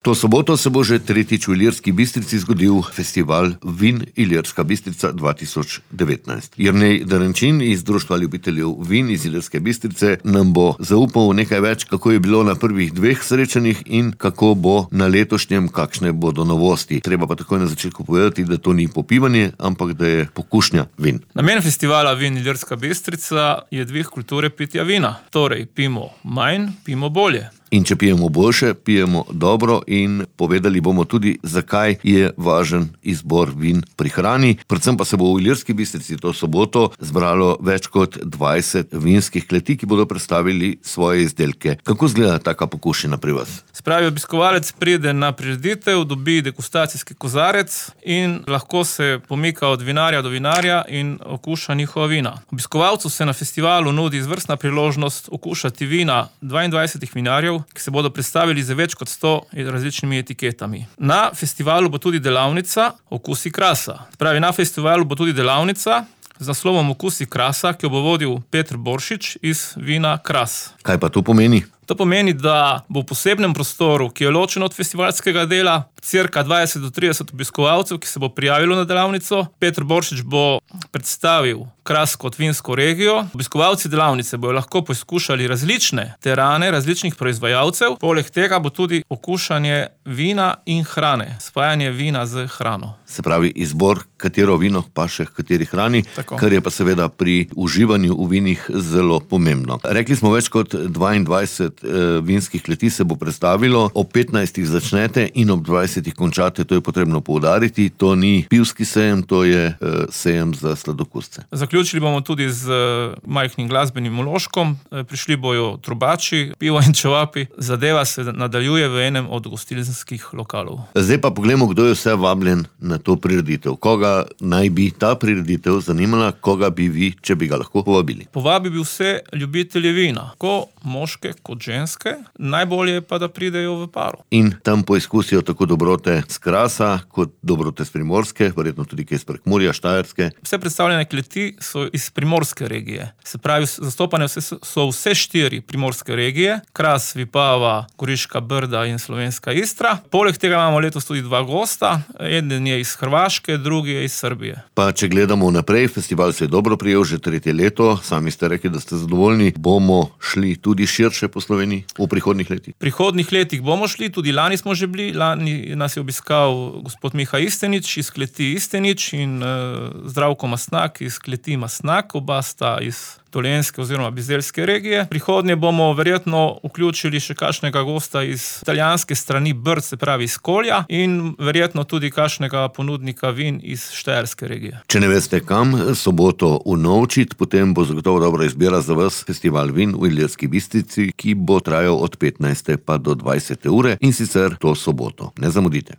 To soboto se bo že tretjič v Ilirski Bistrici zgodil festival Vin Ilirska Bistrica 2019. Jernej Derenčin iz Društva ljubiteljev vin iz Ilirske Bistrice nam bo zaupal nekaj več, kako je bilo na prvih dveh srečanjih in kako bo na letošnjem, kakšne bodo novosti. Treba pa takoj na začetku povedati, da to ni popivanje, ampak da je pokušnja vin. Namen festivala Vin Ilirska Bistrica je dvig kulture pitja vina. Torej, pijemo manj, pijemo bolje. In če pijemo boljše, pijemo dobro in povedali bomo tudi, zakaj je važen izbor vin pri hrani. Predvsem pa se bo v Ilirski Bistrici to soboto zbralo več kot 20 vinskih kleti, ki bodo predstavili svoje izdelke. Kako izgleda taka pokušina pri vas? Spravi, obiskovalec pride na prireditev, dobi degustacijski kozarec in lahko se pomika od vinarja do vinarja in okuša njihova vina. Obiskovalcu se na festivalu nudi izvrstna priložnost okušati vina 22 vinarjev, ki se bodo predstavili z več kot 100 različnimi etiketami. Na festivalu bo tudi delavnica Okusi krasa. Spravi, na festivalu bo tudi delavnica z naslovom Okusi krasa, ki jo bo vodil Peter Boršič iz vina Kras. Kaj pa to pomeni? To pomeni, da bo v posebnem prostoru, ki je ločen od festivalskega dela, cirka 20 do 30 obiskovalcev, ki se bo prijavilo na delavnico. Peter Boršič bo predstavil Kras kot vinsko regijo. Obiskovalci delavnice bojo lahko poizkušali različne terane, različnih proizvajalcev. Poleg tega bo tudi okušanje vina in hrane, spajanje vina z hrano. Se pravi, izbor, katero vino paše h kateri hrani, Tako. Kar je pa seveda pri uživanju v vinih zelo pomembno. Rekli smo, več kot 22 vinskih kleti se bo predstavilo, ob 15 začnete in ob 20 končate, to je potrebno poudariti. To ni pivski sejem, to je sejem za sladokusce. Zaključili bomo tudi z majhnim glasbenim vložkom. Prišli bojo trubači, pivo in čevapi. Zadeva se nadaljuje v enem od gostinskih lokalov. Zdaj pa poglejmo, kdo je vse vabljen na to prireditev. Koga naj bi ta prireditev zanimala, koga bi vi, če bi ga lahko povabili? Povabi bi vse ljubitelje vina, tako moške kot ženske, najbolje pa, da pridejo v paru. In tam poizkusijo tako dobrote z Krasa, kot dobrote z Primorske, verjetno tudi kaj iz Prekmurja, Štajerske. Vse predstavljene kleti so iz primorske regije. Se pravi, zastopane so vse 4 primorske regije, Kras, Vipava, Goriška Brda in Slovenska Istra. Poleg tega imamo letos tudi 2 gosta, eden je iz Hrvaške, drugi je iz Srbije. Pa če gledamo naprej, festival se je dobro prijel že 3. leto, sami ste rekli, da ste zadovoljni. Bomo šli tudi širše po Sloveniji v prihodnjih letih? V prihodnjih letih bomo šli, tudi lani smo že bili, lani nas je obiskal gospod Miha Istenič iz kleti Istenič in Zdravko Mastnak iz kleti Mastnak, oba sta iz Dolenjske oziroma Bizeljske regije. Prihodnje bomo verjetno vključili še kakšnega gosta iz italijanske strani Brd, se pravi iz Kolja, in verjetno tudi kakšnega ponudnika vin iz Štajerske regije. Če ne veste kam soboto unovčiti, potem bo zagotovo dobra izbira za vas festival Vin v Ilirski Bistrici, ki bo trajal od 15. pa do 20. ure in sicer to soboto. Ne zamudite.